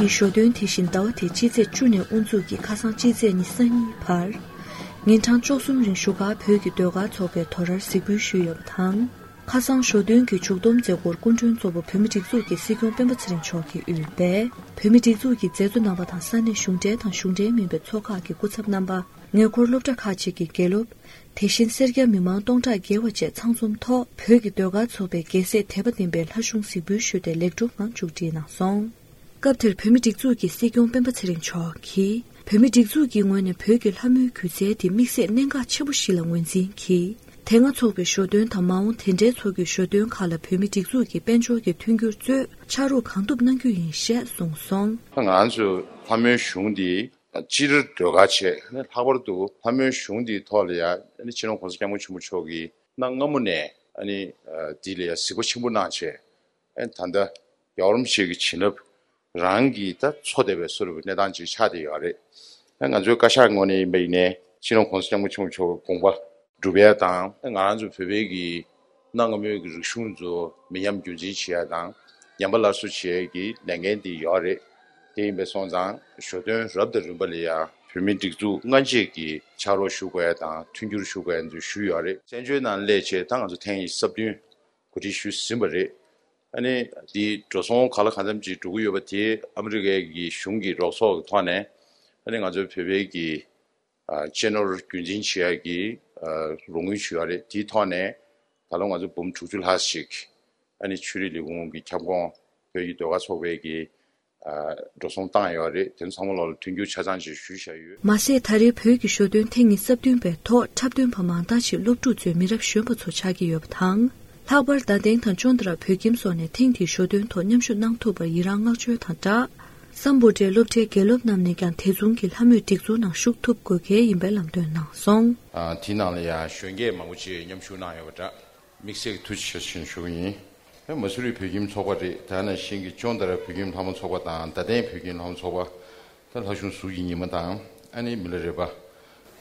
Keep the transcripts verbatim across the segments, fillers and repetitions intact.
ཞོ་སྟོན་དེ་བཞིན་ཟླ་བ་དེའི་སྤྱི་ཚེས་བཅུ་ནས་དབུ་འཛུགས་ཀྱིས་ཁ་སང་སྤྱི་ཚེས་ཉི་ཤུ་རྩ་གཉིས་བར། ཉིན་གྲངས་བཅུ་གསུམ་རིང་བཞུགས་སྒར་བོད་ཀྱི་ཟློས་གར་ཚོགས་པའི་དོ་རར་གཟིགས་འབུལ་ཞུས་ཡོད་པ་དང་། ཁ་སང་ཞོ་སྟོན་གྱི་མཇུག་བསྡོམས་མཛད་སྒོར་སྐུ་མགྲོན་གཙོ་བོ་བོད་མིའི་སྒྲིག་འཛུགས་ཀྱི་སྲིད་སྐྱོང་སྤེན་པ་ཚེ་རིང་མཆོག་གིས་དབུས་པའི་བོད་མིའི་སྒྲིག་འཛུགས་ཀྱི་མཛད་གཙོ་རྣམ་པ་དང་ས་གནས་གཞུང་འབྲེལ་དང་གཞུང་འབྲེལ་མིན་པའི་ཚོགས་ཁག་གི་སྐུ་ཚབ་རྣམ་པ། ངེས་འཁོར་སློབ་གྲྭ་ཁག་ཅིག་གི་དགེ་སློབ། དེ་བཞིན་སེར་སྐྱ་མི་མང་སྟོང་ཕྲག་བརྒལ་བ་བཅས་ཚང་འཛོམས་ཐོག་བོད་ཀྱི་ཟློས་གར་ཚོགས་པའི་རྒྱལ་སྲས་དད་པ་ལྡན་པའི་ལྷ་གཞུང་གཟིགས་འབུལ་ཞུས་ཏེ་ལེགས་གྲུབ་ངང་མཇུག་སྒྲིལ་གནང་སོང་། སྐབས་དེར་བོད་མིའི་སྒྲིག་འཛུགས་ཀྱི་སྲིད་སྐྱོང་སྤེན་པ་ཚེ་རིང་མཆོག་གིས། བོད་མིའི་སྒྲིག་འཛུགས་ཀྱི་ངོས་ནས་བོད་ཀྱི་ལྷ་མོའི་སྒྱུ་རྩལ་དེ་དམིགས་བསལ་གནད་འགག་ཆེན་པོ་ཞིག་ལ་ངོས་འཛིན་གྱིས། དེ་སྔ་འཚོགས་པའི་ཞོ་སྟོན་དང་མ་འོངས་དེ་འབྲེལ་འཚོགས་རྒྱུའི་ཞོ་སྟོན་ཁག་ལ་བོད་མིའི་སྒྲིག་འཛུགས་ཀྱི་དཔལ་འབྱོར་གྱི་མཐུན་འགྱུར་གཙོས་ཕྱག་རོགས་གང་ཐུབ་གནང་རྒྱུ་ཡིན་ཞེས་གསུངས་སོང་། ང་ཚོ་ལྷ་མོའི་གཞུང་འདི་སྤྱིར་ཟློས་གར་བྱས་ནས་ལྷག་པར་དུ་ལྷ་མོའི་གཞུང་འདིའི་ཐོག་ལ་ཡང་སྤྱི་ནོར་༸གོང་ས་༸སྐྱབས་མགོན་ཆེན་པོ་མཆོག་གིས་གནའ་སྔ་མོ་ནས་འདི་ལ་ཡང་གཟིགས་པ་ཆེན་པོ་གནང་བྱས། ཨེ་ད་ལྟ་རྒྱལ་བ་རིན་པོ་ཆེ་གི་བྱིན་རླབས་རང་གིས་ད་འཚོ་བསྡད་པའི་བཟོ་འདྲ་བའི་གནས་སྟངས་ཅིག་ཆགས་བསྡད་ཡོད་རེད། ཨེ་ང་ཚོའི་བཀའ་ཤག་ངོས་ནས་ཡིན་པ་ཡིན་ནའི་སྤྱི་ནོར་༸གོང་ས་༸སྐྱབས་མགོན་ཆེན་པོ་མཆོག་གི་དགོངས་པ་སྒྲུབ་ཡས་དང་། ཨེ་ང་རང་ཚོ་བོད་པའི་གི་གནའ་སྔ་མོའི་གི་རིག་གཞུང་ཚོ་མི་ཉམས་རྒྱུན་འཛིན་བྱེད་ཡས་དང་ཉམས་པ་སླར་གསོ་བྱེད་ཡས་ཀྱི་ལས་འགན་དེ་ཡོད་རེད། དེ་ཡིན་པ་སོང་ཙང་ཞོ་སྟོན་རབ་དང་རིམ་པ་ལ་ཡང་བོད་མིའི་སྒྲིག་འཛུགས་སྔ་རྗེས་ཀྱི་ཕྱག་རོགས་ཞུ་དགོས་ཡས་དང་མཐུན་འགྱུར་ཞུ་དགོས་ཡས་ཚོ་ཞུས་ཡོད་རེད། བཙན་བྱོལ་ནང་སླེབས་བྱས་ད་ང་ཚོ་ཐེངས་ཉི་ཤུ་རྩ་བདུན་གོ་སྒྲིག་ཞུས་ཟིན་པ་རེད། ཨ་ནི་འདི་འགྲོ་སོང་གང་ལ་གང་འཚམ་ཅིག་འགྲོ་གི་ཡོད་པ་དེ་ཨ་མི་རི་ཀའི་གི་གཞུང་གི་རོགས་ཚོགས་ཀྱི་ཐོག་ནས། ཨ་ནི་ང་ཚོའི་བོད་པའི་གི་ཨ་གཅེས་ནོར་རྒྱུན་འཛིན་བྱེད་ཡག་གི་ཨ་རོགས་དངུལ་ཞུ་ཡག་རེད། དེའི་ཐོག་ནས་ད་ལོ་ང་ཚོ་འབུམ་དྲུག་ཅུ་ལྷག་ཞིག་ཨ་ནི་ཆོས་རིག་ལས་ཁུངས་ཀྱི་ཁྱབ་ཁོངས་བོད་ཀྱི་ཟློས་གར་ཚོགས་པའི་གི་ཨ་འགྲོ་སོང་བཏང་ཡོད་རེད། དེ་ཚང་མ་ལོག་ལ་མཐུན་འགྱུར་ཆ་ཚང་ཅིག་ཞུས་བཞག་ཡོད། མ་ཟད་ད་རེས་བོད་ཀྱི་ཞོ་སྟོན་ཐེངས་ཉི་ཤུ་རྩ་བདུན་པའི་ཐོག་འཁྲབ་སྟོན་པ་མང་དག་ཅིག་སློབ་ཕྲུག་གཙོས་མི་རབས་གཞོན་པ་ཚོ་ཆགས་ཀྱི་ཡོད་པ་དང་། ལྷག་པར་རྡ་སྟེང་དང་ཅོན་ཏ་ར་བོད་ཁྱིམ་སོགས་ནས་ཐེངས་འདིའི་ཞོ་སྟོན་ཐོག་མཉམ་ཞུགས་གནང་ཐུབ་པར་ཡི་རངས་བསྔགས་བརྗོད་དང་སྦྲགས། སམ་བྷོ་ཊའི་སློབ་གྲྭའི་དགེ་སློབ་རྣམས་ནས་ཀྱང་དེ་མཚུངས་ཀྱི་ལྷ་མོའི་སྒྲིག་འཛུགས་ནང་ཞུགས་ཐུབ་དགོས་གལ་ཡིན་པའི་ལམ་སྟོན་གནང་སོང་། ཨ་དེའི་ནང་ལ་ཡང་གཞོན་སྐྱེས་མང་པོ་ཅིག་མཉམ་ཞུགས་གནང་ཡོད་པ་འདྲ། དམིགས་བསལ་གྱི་ཐུགས་རྗེ་ཆེ་ཞུ་ཞུ་གི་ཡིན། ཨེ་མ་སུ་རི་བོད་ཁྱིམ་ཚོགས་པ་རེད། དེ་ནང་བཞིན་གྱི་ཅོན་ཏ་ར་བོད་ཁྱིམ་ལྷ་མོ་ཚོགས་པ་དང་རྡ་སྟེང་བོད་ཁྱིམ་ལྷ་མོ་ཚོགས་པ། ད་ལྷ་གཞུང་ཟུར་གྱི་ཉི་མ་དང་ཨ་ནི་མི་ལ་རས་པ།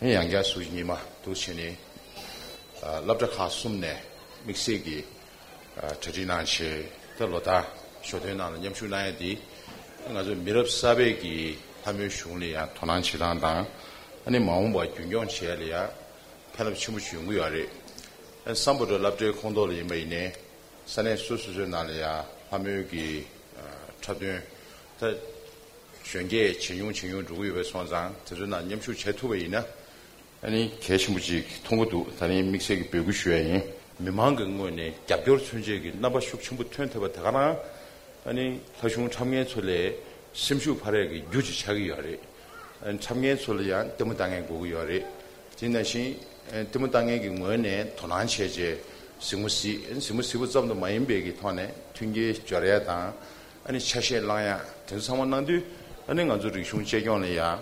ཨེ་ཡང་བསྐྱར་ཟུར་གྱི་ཉི་མ་འདུག་བྱས་ནས། ཨ་སློབ་གྲྭ་ཁག་གསུམ་ནས་དམིགས་བསལ་གྱི་ཨ་གྲ་སྒྲིག་གནང་བྱས། ད་ལོ་ལྟར་ཞོ་སྟོན་ནང་ལ་མཉམ་ཞུགས་གནང་ཡ་འདི་ང་ཚོ་མི་རབས་གསར་པའི་གི་ལྷ་མོའི་གཞུང་ལ་ཡང་དོ་སྣང་བྱེད་སྟངས་དང་། ཨ་ནི་མ་འོངས་པ་རྒྱུན་སྐྱོང་བྱེད་ཡ་ལ་ཡང་ཕན་རླབས་ཆེན་པོ་ཞིག་ཡོང་གི་ཡོད་རེད། ཨ་སམ་བྷོ་ཊ་སློབ་གྲྭའི་ཁོངས་གཏོགས་ལ་ཡིན་པ་ཡིན་ནའི་ས་གནས་སོ་སོ་སོའི་ནང་ལ་ཡང་ལྷ་མོའི་གི་ཨ་འཁྲབ་སྟོན་ད་གཞོན་སྐྱེས་ཇེ་ཉུང་ཇེ་ཉུང་འགྲོ་གི་ཡོད་པའི་སོང་ཙང་། དེ་ཚོའི་ནང་མཉམ་ཞུགས་བྱེད་ཐུབ་པ་ཡིན་ན། ཨ་ནི་གལ་ཆེན་པོ་ཅིག་མཐོང་གི་འདུག་ད་ནི་དམིགས་བསལ་གྱི་འབོད་སྐུལ་ཞུ་ཡ་ཡིན། མི་མང་གི་ངོས་ནས་རྒྱབ་སྐྱོར་མཚོན་བྱེད་ཀྱི་རྣམ་པ་ཤུགས་ཆེན་པོ་ཐོན་ཐུབ་པ་དེ་ག་རང་། ཨ་ནི་ལྷ་གཞུང་འཁྲབ་མཁན་ཚོ་ལས་སེམས་ཤུགས་འཕར་ཡ་གི་རྒྱུ་ཅིག་ཆགས་ཀྱི་ཡོད་རེད། ཨ་ནི་འཁྲབ་མཁན་ཚོ་ལ་ཡང་ལྟད་མོ་ལྟ་མཁན་དགོས་ཀྱི་ཡོད་རེད། དེ་ནང་བཞིན་ཨ་ལྟད་མོ་ལྟ་མཁན་གྱི་ངོས་ནས་དོ་སྣང་བྱས་རྗེས་གཟིགས་མོ་གཟིགས། ཨ་ནི་གཟིགས་མོ་གཟིགས་པ་ཙམ་དུ་མ་ཡིན་པའི་གི་ཐོག་ནས་མཐུན་རྐྱེན་སྦྱོར་ཡ་དང་། ཨ་ནི་ཆ་ཤས་བླང་ཡ་དེ་ཚོ་ཚང་མ་གནང་དུས། ཨ་ནི་ང་ཚོ་རིག་གཞུང་གཅེས་སྐྱོང་ལ་ཡང་།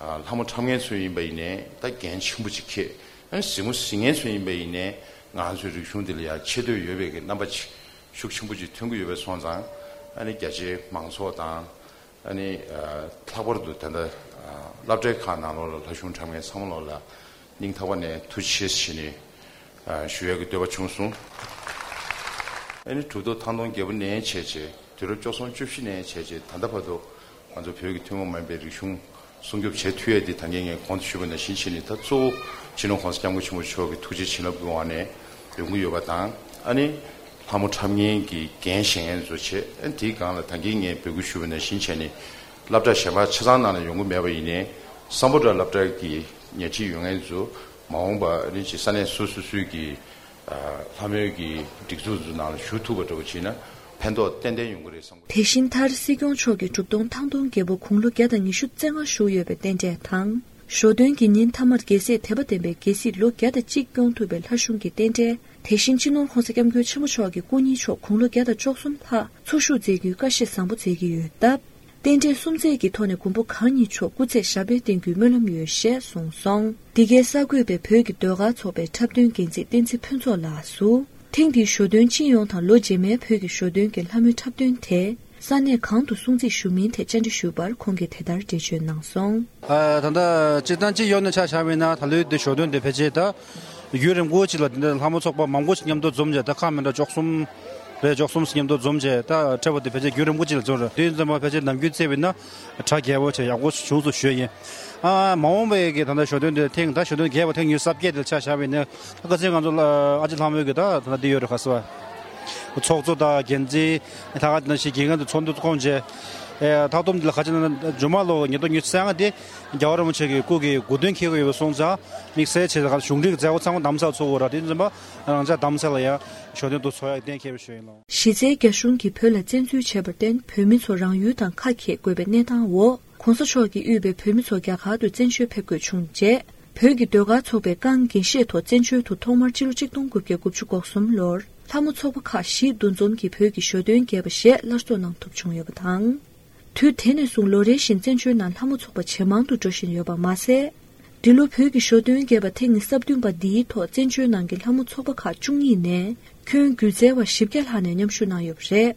ཨ་ལྷ་མོ་འཁྲབ་མཁན་ཚོ་ཡིན་པ་ཡིན་ནའི་ད་འགན་ཆེན་པོ་ཅིག་འཁྱེར། ཨ་ནི་གཟིགས་མོ་གཟིགས་མཁན་ཚོ་ཡིན་པ་ཡིན་ནའི་ང་ཚོའི་རིག་གཞུང་འདི་ལ་ཡང་ཆེ་བསྟོད་ཡོད་པའི་གི་རྣམ་པ་ཅིག་ཤུགས་ཆེན་པོ་ཅིག་ཐོན་གྱི་ཡོད་པའི་སོང་ཙང་། ཨ་ནི་རྒྱ་ཆེའི་མང་ཚོགས་དང་། ཨ་ནི་ཨ་ལྷག་པར་དུ་ད་ལྟ་ཨ་སློབ་གྲྭའི་ཁག་ནང་ལོགས་ལ་ལྷ་གཞུང་འཁྲབ་མཁན་ཚང་མ་ལོགས་ལ་སྙིང་ཐག་པ་ནས་ཐུགས་རྗེ་ཆེ་ཞུ་ནས་ཨ་ཞུ་ཡག་གི་འདོད་པ་བྱུང་སོང་། ཨ་ནི་གྲུབ་ཐོབ་ཐང་སྟོང་རྒྱལ་པོ་ནས་བྱས་རྗེས། དུས་རབས་བཅུ་གསུམ་བཅུ་བཞི་ནས་བྱས་རྗེས་ད་ལྟ་བར་དུ་ང་ཚོ་བོད་ཀྱི་ཐུན་མོང་མ་ཡིན་པའི་རིག་གཞུང་སྲུང་སྐྱོབ་བྱེད་ཐུབ་ཡས་འདི་ད་གིན་ངས་གོང་དུ་ཞུས་པ་ནང་བཞིན་བྱས་ནས། ད་གཙོ་བོ་སྤྱི་ནོར་༸གོང་ས་༸སྐྱབས་མགོན་ཆེན་པོ་མཆོག་གི་ཐུགས་རྗེ་བྱིན་རླབས་ཀྱི་འོག་ནས་ཡོང་གི་ཡོད་པ་དང་། ཨ་ནི་ལྷ་མོ་འཁྲབ་མཁན་གྱི་འགན་བཞེས་མཁན་ཚོ་བྱས། ཨ་ནི་དེའི་སྒང་ལ་ད་གིན་ངས་འབོད་སྐུལ་ཞུས་པ་ནང་བཞིན་བྱས་ནས་སློབ་གྲྭ་གཞན་པ་ཆ་ཚང་ནང་ལ་ཡོང་གི་མེད་པ་ཡིན་ནའི་སམ་བྷོ་ཊ་སློབ་གྲྭ་གི་ཉལ་ཁྲི་ཡོད་མཁན་ཚོ་མ་འོངས་པ་ཨ་ནི་ཅིག་ས་གནས་སོ་སོ་སོའི་གི་ཨ་ལྷ་མོའི་གི་སྒྲིག་འཛུགས་ཚོ་ནང་ལ་ཞུགས་ཐུབ་པ་འདྲ་བོ་བྱས་ན་ཕན་ཐོགས་ཏན་ཏན་ཡོང་གི་རེད་བསམ་གི། དེ་བཞིན་མཐར་སྲིད་སྐྱོང་མཆོག་གིས་གྲུབ་སྟོན་ཐང་སྟོང་རྒྱལ་པོ་དགུང་ལོ་བརྒྱ་དང་ཉི་ཤུ་རྩ་ལྔ་བཞུགས་ཡོད་པའི་རྟེན་འབྲེལ་དང་། ཞོ་སྟོན་གྱི་ཉིན་མཐའ་མར་རྒྱལ་སྲས་དད་པ་ལྡན་པའི་རྒྱལ་སྲིད་ལོ་བརྒྱ་དང་གཅིག་སྐྱོང་ཐུབ་པའི་ལྷ་གཞུང་གི་རྟེན་འབྲེལ། དེ་བཞིན་སྤྱི་ནོར་༸གོང་ས་༸སྐྱབས་མགོན་ཆེན་པོ་མཆོག་གི་སྐུ་ཉིད་མཆོག་དགུང་ལོ་བརྒྱ་དང་བཅུ་གསུམ་ལྷག་འཚོ་བཞུགས་མཛད་རྒྱུའི་བཀའ་བཞེས་བཟང་པོ་མཛད་ཀྱི་ཡོད་སྟབས། རྟེན་འབྲེལ་གསུམ་མཛད་ཀྱི་ཐོག་ནས་མགོན་པོ་གང་ཉིད་མཆོག་སྐུ་ཚེ་ཞབས་པད་བརྟན་རྒྱུའི་སྨོན་ལམ་ཡོད་ཞེས་གསུངས་སོང་། འདི་གའི་གསར་འགོད་པས་བོད་ཀྱི་ཟློས་གར་ཚོགས་པའི་འཁྲབ་སྟོན་འགན་འཛིན་བསྟན་འཛིན་ཕུན་ཚོགས་ལགས་སུ། ཐེངས་འདིའི་ཞོ་སྟོན་སྤྱི་ཡོངས་དང་ལོ་རྗེས་མའི་བོད་ཀྱི་ཞོ་སྟོན་གྱི་ལྷ་མོའི་འཁྲབ་སྟོན་དེ་ས་གནས་གང་དུ་སྲུང་བརྩི་ཞུ་མིན་ཐད་བཅར་འདྲི་ཞུས་པར་ཁོང་གིས་དེ་ལྟར་འགྲེལ་བརྗོད་གནང་སོང་། ཨ་ད་ལྟ་སྤྱིར་བཏང་སྤྱི་ཡོངས་ནས་ཆ་བཞག་པ་ཡིན་ན་ད་ལོའི་འདི་ཞོ་སྟོན་འདི་ཕལ་ཆེར་ད་ཡུན་རིང་པོ་ཅིག་ལ་འདི་འདྲ་ལྷ་མོ་ཚོགས་པ་མང་པོ་ཞིག་མཉམ་དུ་འཛོམས་བྱས། ད་ཁག་མི་འདྲ་བཅུ་གསུམ་ བས་འཇོག་གསུམ་མཉམ་དུ་འཛོམས་བྱས། ད་འཁྲབ་པ་དེ་ཕལ་ཆེར་རྒྱུན་རིང་པོ་ཅིག་ལ་འཛོམས་རེད། དེ་ཡིན་ཙང་མ་ཕལ་ཆེར་ནམ་རྒྱུན་བརྩིས་པ་ཡིན་ན་གྲ་རྒྱས་པོ་བྱས་ཡག་པོ་བྱུང་སོང་ཞུ་ཡ་ཡིན། ཨ་མ་འོངས་པའི་གི་ད་ལྟ་ཞོ་སྟོན་དེ་ཐེངས་ད་ཞོ་སྟོན་རྒྱས་པ་ཐེངས་ཉི་ཤུ་རྩ་བརྒྱད་དེ་ལ་ཆ་བཞག་པ་ཡིན་ན། ད་ཁ་སང་ང་ཚོ་ལ་ཨ་ཅེ་ལྷ་མོའི་གི་ད་ད་ལྟ་འདི་ཡོད་རེད། ག་ཟེར་བ། ཚོགས་གཙོ་དང་འགན་འཛིན་ལྷག་དཀར་དེ་ནང་བཞིན་དགེ་རྒན་དང་ཚོགས་འདུ་བསྐོང་བྱས། ཨེ་མཐའ་སྡོམ་འདི་ལ་ག་ཅི་ན་ན་མཇུག་མ་ལོ་ཉིས་སྟོང་ཉི་ཤུ་རྩ་ལྔ་དེ་རྒྱལ་བ་རིན་པོ་ཆེ་གི་སྐུ་གི་དགུང་སྟོན་འཁེལ་གི་ཡོད་པ་སོང་ཙང་དམིགས་བསལ་བྱས་ཙང་གཞུང་འབྲེལ་གྱི་མཛད་སྒོ་ཚང་མ་རྡ་རམ་ས་ལ་ཚོགས་དགོས་ར། དེ་ཡིན་ཙང་མ་རང་ཅག་རྡ་རམ་ས་ལ་ཡང་ཞོ་སྟོན་དུ་ཚོགས་ཡག་གཏན་འཁེལ་བ་ཞུ་ཡིན་ལོ། གཞི་རྩའི་རྒྱ་གཞུང་གིས་བོད་ལ་བཙན་འཛུལ་བྱས་པར་བརྟེན་བོད་མི་ཚོ་རང་ཡུལ་དང་ཁ་གྱེས་དགོས་པའི་གནས་སྟངས་འོག་གོང་ས་མཆོག་གིས་དབུས་པའི་བོད་མི་ཚོ་རྒྱ་གར་དུ་བཙན་བྱོལ་ཕེབས་དགོས་བྱུང་རྗེས། བོད་ཀྱི་ཟློས་གར་ཚོགས་པས་རྐང་འགན་བཞེས་ཐོག་བཙན་བྱོལ་དུ་ཐོག་མར་སྤྱི་ལོ་གཅིག་སྟོང་དགུ་བརྒྱ་དགུ་བཅུ་གོ་གསུམ་ལོར་ལྷ་མོ་ཚོགས་པ་ཁག་བཞི་འདུ་འཛོམས་ཀྱིས་བོད་ཀྱི་ཞོ་སྟོན་རྒྱས་པ་ཞེས་སླར་གསོ་གནང་ཐུབ་བྱུང་ཡོད་པ་དང་། དུས་དེ་ནས་བཟུང་ལོ་རེ་བཞིན་བཙན་བྱོལ་ནང་ལྷ་མོ་ཚོགས་པ་ཇེ་མང་དུ་འགྲོ་བཞིན་ཡོད་པ་མ་ཟད། འདི་ལོ་བོད་ཀྱི་ཞོ་སྟོན་རྒྱས་པ་ཐེངས་ཉི་ཤུ་རྩ་བདུན་པ་འདིའི་ཐོག་བཙན་བྱོལ་ནང་གི་ལྷ་མོ་ཚོགས་པ་ཁག་བཅུ་གཉིས་ནས་ཁྱོན་སྒྱུ་རྩལ་བ་བཞི་བརྒྱ་ལྷག་ནས་མཉམ་ཞུགས་གནང་ཡོད་པ་རེད།